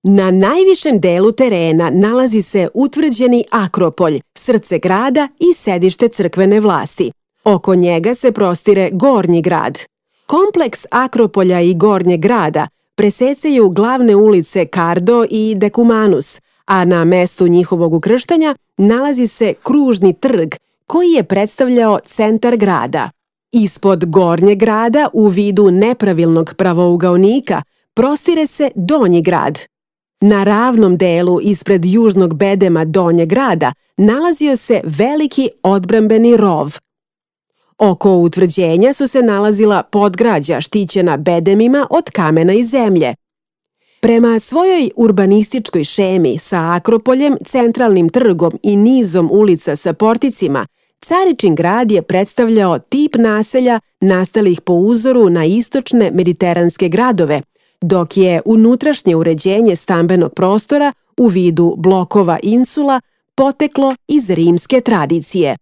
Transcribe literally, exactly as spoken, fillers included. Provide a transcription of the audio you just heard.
Na najvišem delu terena nalazi se utvrđeni Akropolj, srce grada i sedište crkvene vlasti. Oko njega se prostire Gornji grad. Kompleks Akropolja i Gornjeg grada presecaju glavne ulice Kardo i Dekumanus, a na mestu njihovog ukrštanja nalazi se kružni trg koji je predstavljao centar grada. Ispod Gornjeg grada u vidu nepravilnog pravougaonika prostire se Donji grad. Na ravnom delu ispred južnog bedema Donjeg grada nalazio se veliki odbrambeni rov. Oko utvrđenja su se nalazila podgrađa štićena bedemima od kamena i zemlje. Prema svojoj urbanističkoj šemi sa Akropoljem, centralnim trgom i nizom ulica sa porticima, Caričin grad je predstavljao tip naselja nastalih po uzoru na istočne mediteranske gradove, dok je unutrašnje uređenje stambenog prostora u vidu blokova insula poteklo iz rimske tradicije.